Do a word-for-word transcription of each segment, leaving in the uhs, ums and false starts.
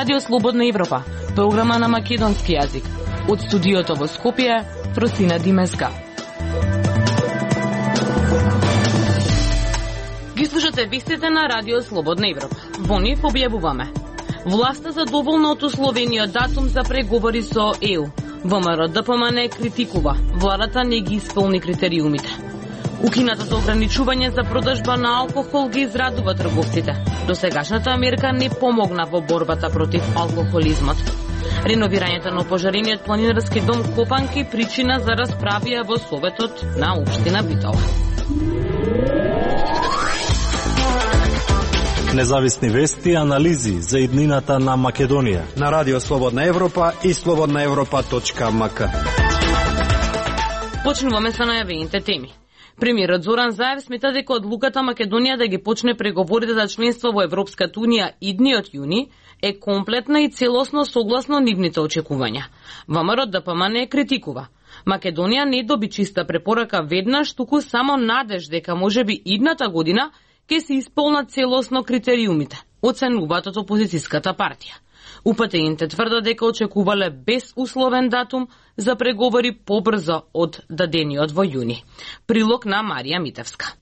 Радио Слободна Европа, програма на македонски јазик. Од студиото во Скопје, Фросина Димеска. Ги слушате вестите на Радио Слободна Европа. Во нив објавуваме: власта задоволна од условениот датум за преговори со Е У. ВМРО Д П М Н критикува, владата не ги исполни критериумите. Укинатото ограничување за продажба на алкохол ги израдува трговците. Досегашната мерка не помогна во борбата против алкохолизмот. Реновирањето на опожарениот планинарски дом Копанки причина за расправија во Советот на општина Битола. Независни вести и анализи за иднината на Македонија на Радио Слободна Европа и слободна европа точка ем ка. Почнуваме со најавените теми. Премиерот Зоран Заев смета дека одлуката Македонија да ги почне преговорите за членство во Европската Унија идниот јуни е комплетна и целосно согласно нивните очекувања. ВМРО Д П М Н критикува: Македонија не доби чиста препорака веднаш, туку само надеж дека можеби идната година ќе се исполнат целосно критериумите, оценуваат од опозицијската партија. УПТИ-ните тврдат дека очекувале безусловен датум за преговори побрзо од дадениот во јуни. Прилог на Марија Митевска.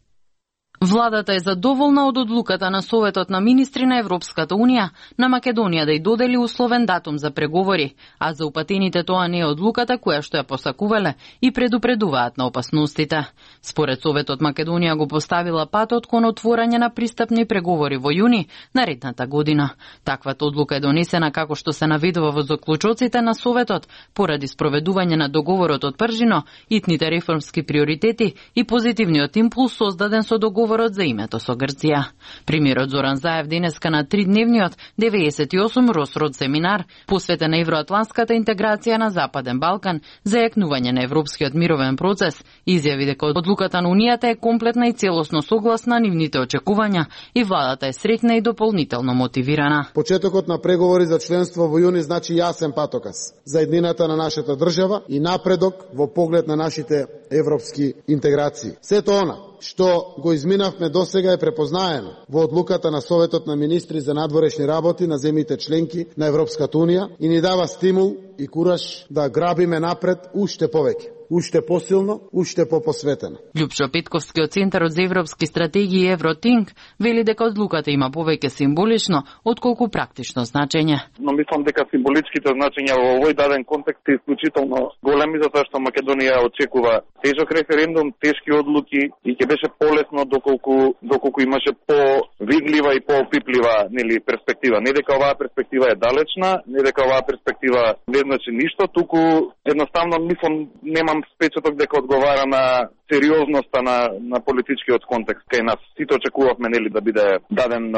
Владата е задоволна од одлуката на Советот на министри на Европската Унија на Македонија да ја додели условен датум за преговори, а за упатените тоа не е одлуката која што ја посакувале и предупредуваат на опасностите. Според Советот, Македонија го поставила патот кон отворање на пристапни преговори во јуни наредната година. Таквата одлука е донесена, како што се наведува во заклучоците на Советот, поради спроведување на договорот од Пржино, итните реформски приоритети и позитивниот импулс создаден со договорот за името со Грција. Премиерот Зоран Заев денеска на тридневниот деветдесет и осум Росрод семинар посветен на евроатлантската интеграција на Западен Балкан за јакнување на европскиот мировен процес изјави дека одлуката на Унијата е комплетна и целосно согласна нивните очекувања и владата е среќна и дополнително мотивирана. Почетокот на преговори за членство во јуни значи јасен патоказ за еднината на нашата држава и напредок во поглед на нашите европски интеграции. Сето она што го изминавме досега е препознаено во одлуката на Советот на министри за надворешни работи на земјите членки на Европската Унија и ни дава стимул и кураж да грабиме напред уште повеќе, уште посилно, уште попосветено. Љупчо Петковски од Центарот за европски стратегии Евротинк вели дека одлуката има повеќе символично отколку практично значење. Но мислам дека символичките значења во овој даден контекст е исклучително големи, затоа што Македонија очекува тежок референдум, тешки одлуки и ќе беше полесно доколку доколку имаше по-видлива и по-опиплива нели перспектива. Не дека оваа перспектива е далечна, не дека оваа перспектива не значи ништо, туку едноставно мислам немам впечаток дека одговара на сериозноста на на политичкиот контекст кај нас. Сите очекувавме нели да биде даден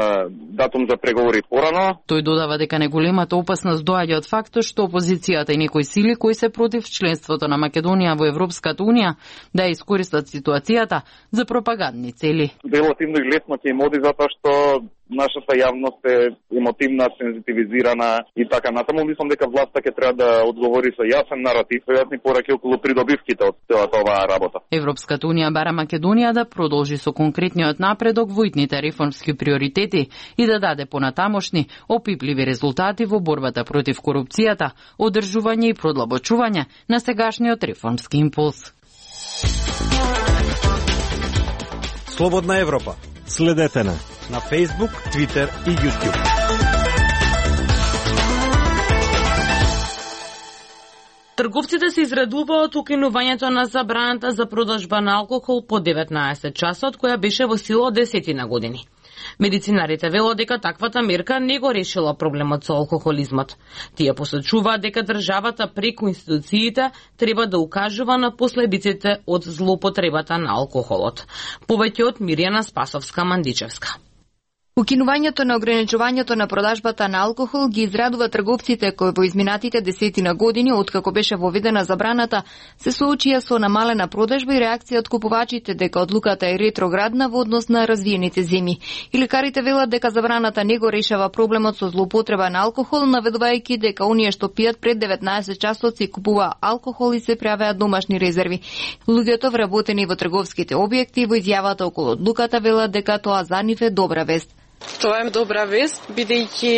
датум за преговори порано. Тој додава дека неголемата опасност доаѓа од фактот што опозицијата и некои сили кои се против членството на Македонија во Европската Унија да ја искористат ситуацијата за пропагандни цели. Релативно и лесно ќе им оди затоа што нашата јавност е емотивна, сензитивизирана и така натаму. Мислам дека власта ќе треба да одговори со јасен наратив, јасни пораки околу придобивките од целата оваа работа. Европската Унија бара Македонија да продолжи со конкретниот напредок во итните реформски приоритети и да даде понатамошни опипливи резултати во борбата против корупцијата, одржување и продлабочување на сегашниот реформски импулс. Слободна Европа. Следете на на Facebook, Twitter и YouTube. Трговците се израдуваат укинувањето на забраната за продажба на алкохол по деветнаесет часот, која беше во сила од десетина години. Медицинарите велат дека таквата мерка не го решила проблемот со алкохолизмот. Тие посочуваат дека државата преку институциите треба да укажува на последиците од злоупотребата на алкохолот. Повеќе од Мирјана Спасовска-Мандичевска. Укинувањето на ограничувањето на продажбата на алкохол ги израдува трговците кои во изминатите десетина години, откако беше воведена забраната, се соочија со намалена продажба и реакција од купувачите дека одлуката е ретроградна во однос на развиените земји. И лекарите велат дека забраната не го решава проблемот со злоупотреба на алкохол, наведувајќи дека оние што пијат пред деветнаесет часот си купува алкохол и се правеа домашни резерви. Луѓето вработени во трговските објекти во изјавата околу одлуката велат дека тоа за нив е добра вест. Тоа е добра вест, бидејќи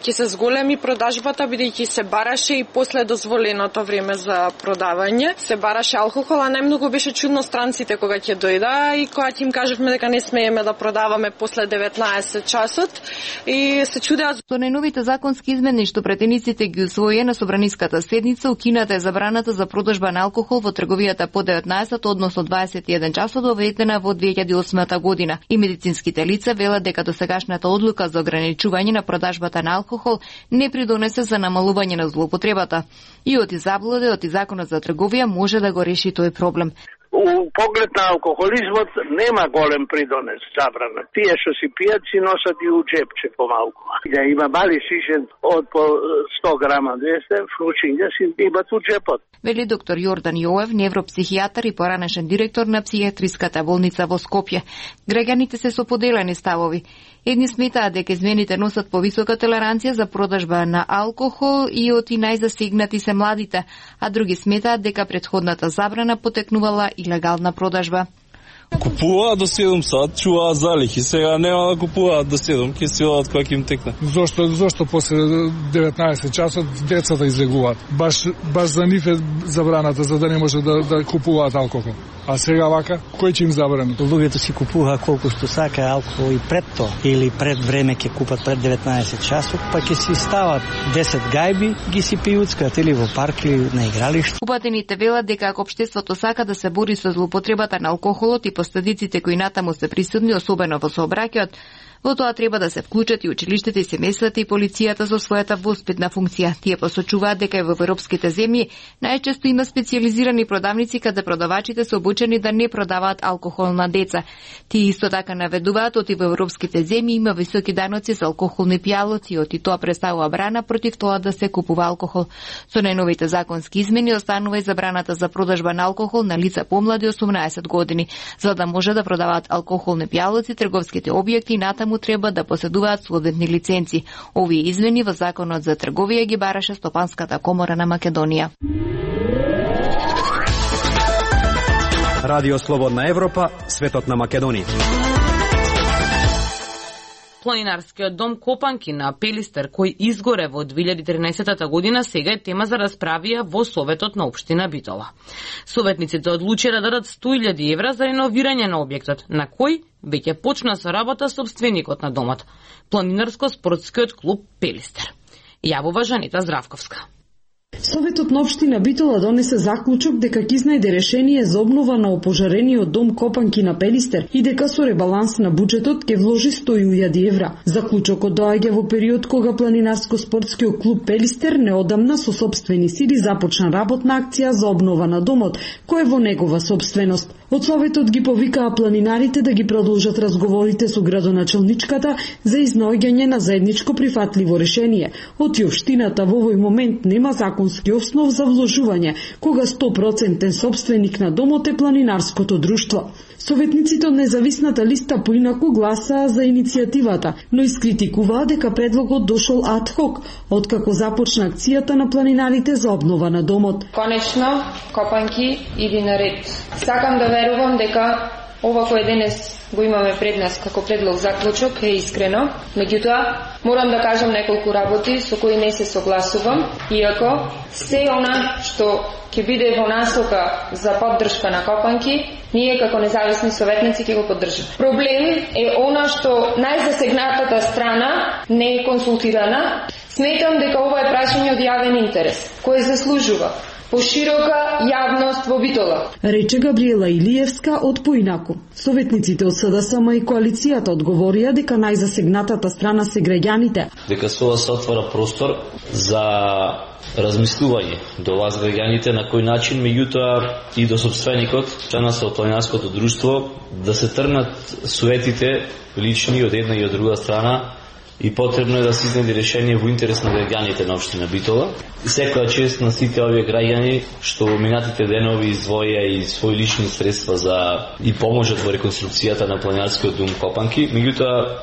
ќе се зголеми продажбата, бидејќи се бараше и после дозволеното време за продавање. Се бараше алкохол, а најмногу беше чудно странците кога ќе дојда и кога ќе им кажевме дека не смееме да продаваме после деветнаесет часот и се чудеа. Со најновите законски измени што претениците ги усвоија на собраниската седница, укината е забраната за продажба на алкохол во трговијата по деветнаесет, односно дваесет и еден часот, доведена во две илјади и осма година. И медицинските лица велат дека досегашната одлука за ограничување на продажбата на алкохол не придонесе за намалување на злоупотребата. И од заблуде, од законот за трговија може да го реши тој проблем. У поглед на алкохолизмот нема голем придонес забрана. Тие што си пијат си носат и у джепче помалку. Да има мали шишен од по сто грама двесте, фручиња си имат у джепот. Вели доктор Јордан Јоев, невропсихијатар и поранешен директор на психијатриската болница во Скопје. Граѓаните се со поделени ставови. Едни сметаат дека измените носат повисока толеранција за продажба на алкохол и од и најзасегнати се младите, а други сметаат дека претходната забрана потекнувала илегална продажба. Купуваат до седум сат, чуваат залихи, сега нема да купуваат до седум, ќе си одат кога ќе им текне. Зошто зошто после деветнаесет часот децата излегуваат? Баш баш за нив е забраната за да не може да да купуваат алкохол. А сега вака, кој ќе им забрани? Луѓето си купуваат колку што сака алкохол и пред тоа, или пред време ќе купат пред деветнаесет часот, па ќе си стават десет гајби, ги си пијуцкат или во парк или на игралиште. Упатените велат дека ако општеството сака да се бори со злоупотребата на алкохолот и последиците кои натаму се присутни, особено во сообраќајот, во тоа треба да се вклучат и училиштата и семејствата и полицијата со својата воспитна функција. Тие посочуваат дека и во европските земји најчесто има специјализирани продавници каде продавачите се обучени да не продаваат алкохол на деца. Тие исто така наведуваат оти во европските земји има високи даноци за алкохолни пијалоци и оти тоа представува брана против тоа да се купува алкохол. Со најновите законски измени останува и забраната за продажба на алкохол на лица помлади осумнаесет години. За да може да продаваат алкохолни пијалоци, трговските објекти натаму му треба да поседуваат соодветни лиценци. Овие измени во Законот за трговија ги бараше Стопанската комора на Македонија. Радио Слободна Европа, светот на Македонија. Планинарскиот дом Копанки на Пелистер, кој изгоре во две илјади и тринаесета година, сега е тема за расправија во Советот на општина Битола. Советниците одлучија да дадат сто илјади евра за реновирање на објектот, на кој веќе почна со работа собственикот на домот, Планинарско-спортскиот клуб Пелистер. Јавува Жанета Здравковска. Советот на општина Битола донесе заклучок дека ќе изнајде решение за обнова на опожарениот дом Копанки на Пелистер и дека со ребаланс на буџетот ќе вложи сто илјади евра. Заклучокот доаѓа во период кога Планинарско-спортскиот клуб Пелистер неодамна со сопствени сили започна работна акција за обнова на домот, кој е во негова сопственост. Од Советот ги повикаа планинарите да ги продолжат разговорите со градоначелничката за изнаоѓање на заедничко прифатливо решение. Оти општината во овој момент нема законски основ за вложување, кога сто проценти сопственик на домот е планинарското друштво. Советниците од независната листа поинаку гласаа за иницијативата, но искритикуваа дека предлогот дошол ад хок, откако започна акцијата на планинарите за обнова на домот. Конечно, Копанки иди наред. Сакам да верувам дека ова кој денес го имаме пред нас како предлог заклучок е искрено. Меѓутоа, морам да кажам неколку работи со кои не се согласувам, иако се она што ќе биде во насока за поддршка на Копанки, ние како независни советници ќе го поддржиме. Проблем е она што најзасегнатата страна не е консултирана. Сметам дека ова е прашање од јавен интерес, кој заслужува поширока јавност во Битола, рече Габриела Илиевска од Поинаку. Советниците од СДСМ и коалицијата одговорија дека најзасегнатата страна се граѓаните. Дека со ова се отвора простор за размислување до вас граѓаните на кој начин, меѓутоа и до собственикот, членот од планинарското друштво, да се тргнат советите лични од една и од друга страна, и потребно е да се изнајде решение во интерес на граѓаните на општина Битола. И секоја чест на сите овие граѓани што во минатите денови издвоија и своји лични средства за и поможат во реконструкцијата на планинарскиот дом Копанки. Меѓутоа,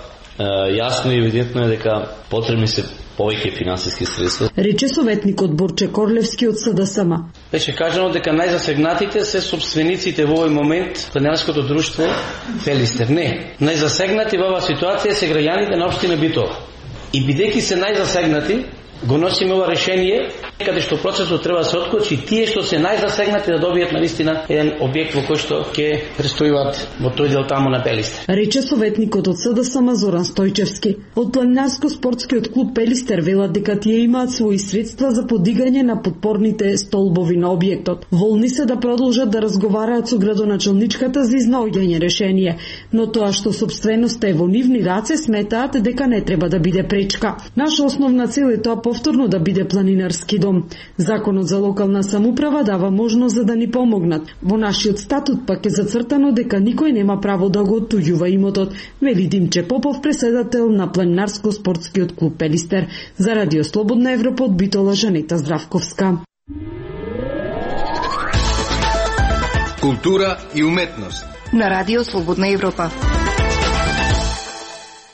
јасно и евидентно е дека потребни се повеќе финансиски средства. Рече советникот Борче Корлевски од СДСМ. беше кажано дека најзасегнатите се собствениците во овој момент планинарското друштво Пелистер. Не, најзасегнати во оваа ситуација се граѓаните на општина Битола. И бидејќи се најзасегнати, го носиме ова решение, каде што процесот треба да се отклучи тие што се најзасегнати да добијат наистина еден објект во кој што ќе престојуваат во тој дел таму на Пелистер. Рече советникот од СДСМ Зоран Стојчевски. Од планинарско-спортскиот клуб Пелистер велат дека тие имаат своји средства за подигање на подпорните столбови на објектот. Волни се да продолжат да разговараат со градоначалничката за изнаоѓање решение, но тоа што собственоста е во нивни раце сметаат дека не треба да биде пречка. Наша основна цел е тоа повторно да биде планинарски дом. Законот за локална самоуправа дава можност за да ни помогнат. Во нашиот статут пак е зацртано дека никој нема право да го оттуѓува имотот, вели Димче Попов, преседател на планинарско-спортскиот клуб Пелистер. За Радио Слободна Европа од Битола, Жанета Здравковска. Култура и уметност на Радио Слободна Европа.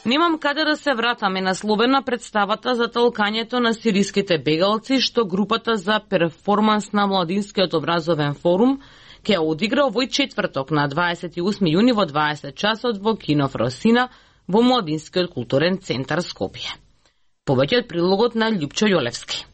Немам каде да се вратаме насловена представата за толкањето на сириските бегалци што групата за перформанс на Младинскиот образовен форум ќе одигра овој четврток на дваесет и осми јуни во дваесет часот во Кино Фросина во Младинскиот културен центар Скопје. Повеќе од прилогот на Љупчо Јолевски.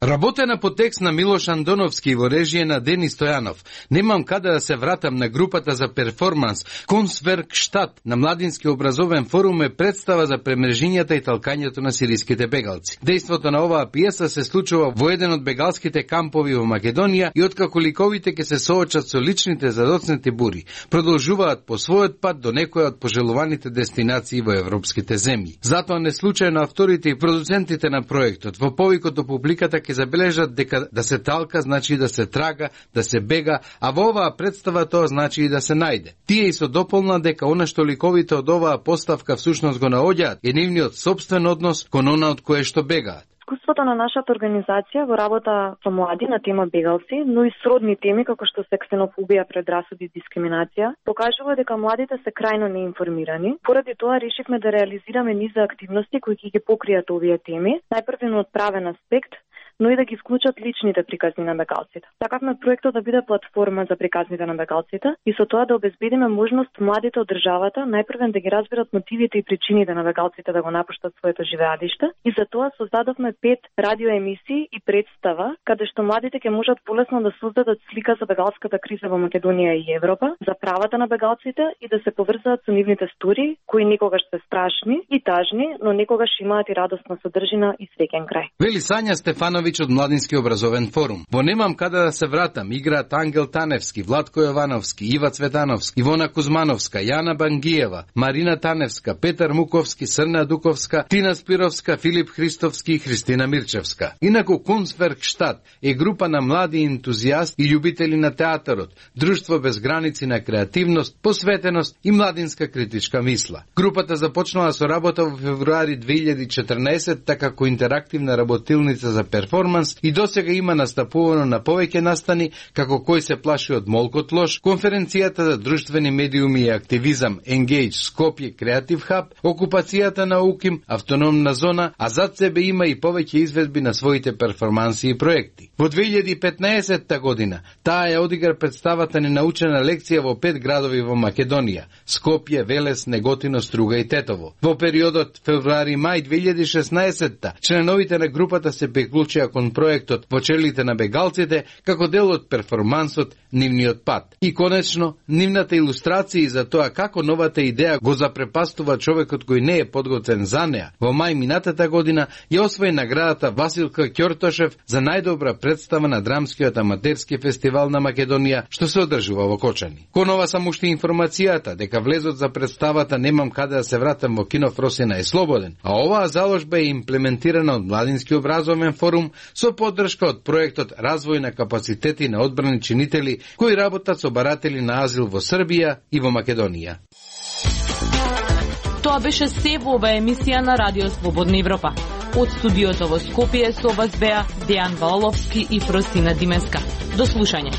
Работена по текст на Милош Андоновски во режија на Дени Стојанов. Немам каде да се вратам на групата за перформанс Kunstwerkstatt на Младински образовен форум е представа за премрежињата и талкањето на сириските бегалци. Дејството на оваа пиеса се случува во еден од бегалските кампови во Македонија и откако ликовите ќе се соочат со личните задоцнати бури, продолжуваат по својот пат до некоја од пожелуваните дестинации во европските земји. Затоа не случајно авторите и продуцентите на проектот во повикот до публиката ќе забележат дека да се талка значи да се трага, да се бега, а во оваа представа тоа значи и да се најде. Тие и со дополна дека она што ликовите од оваа поставка всушност го наоѓаат е нивниот собствен однос кон она од кое што бегаат. Искуството на нашата организација во работа со млади на тема бегалци, но и сродни теми како што се ксенофобија, предрасуди и дискриминација, покажува дека младите се крајно неинформирани. Поради тоа решивме да реализираме низ активности кои ќе ги покријат овие теми, најпрвен од правен аспект, но и да ги вклучат личните приказни на бегалците. Сакавме проектот да биде платформа за приказните на бегалците и со тоа да обезбедиме можност младите од државата најпрвен да ги разберат мотивите и причините на бегалците да го напуштат своето живеалиште и за тоа создадовме пет радиоемисии и представа каде што младите ќе можат полесно да создадат слика за бегалската криза во Македонија и Европа, за правата на бегалците и да се поврзаат со нивните истории кои никогаш се страшни и тажни, но никогаш имаат и радосна содржина и среќен крај. Вели Сања Стефановиќ од Младински образовен форум. Во Немам каде да се вратам играат Ангел Таневски, Владко Јовановски, Ива Цветановски, Ивона Кузмановска, Јана Бангиева, Марина Таневска, Петар Муковски, Срна Дуковска, Тина Спировска, Филип Христовски и Христина Мирчевска. Инаку Kunstwerkstatt е група на млади ентузијасти и љубители на театарот, друштво без граници на креативност, посветеност и младинска критичка мисла. Групата започнала со работа во февруари две илјади и четрнаесетта како интерактивна работилница за перформанс и досега има настапувано на повеќе настани како Кој се плаши од молкот лош, конференцијата за друштвени медиуми и активизам Engage Скопје Creative Hub, окупацијата на УКИМ, автономна зона, а зад себе има и повеќе изведби на своите перформанси и проекти. Во две илјади и петнаесетта година таа ја одигра представата ни научена лекција во пет градови во Македонија: Скопје, Велес, Неготино, Струга и Тетово. Во периодот февруари-мај две илјади и шеснаесетта членовите на групата се приклучија кон проектот во челите на бегалците како дел од перформансот Нивниот пат. И конечно, нивната илустрација за тоа како новата идеја го запрепастува човекот кој не е подготвен за неа. Во мај минатата година ја освои наградата Василка Ќортошев за најдобра представа на драмскиот аматерски фестивал на Македонија што се одржува во Кочани. Кон ова само уште информацијата дека влезот за представата Немам каде да се вратам во Кино Фросина е слободен, а оваа заложба е имплементирана од Младински образовен форум со поддршка од проектот Развој на капацитети на одбрани чинители кои работат со баратели на азил во Србија и во Македонија. Тоа беше се во оваа емисија на Радио Слободна Европа. Од студиото во Скопје со вас беа Дејан Валовски и Фросина Димеска. До слушање.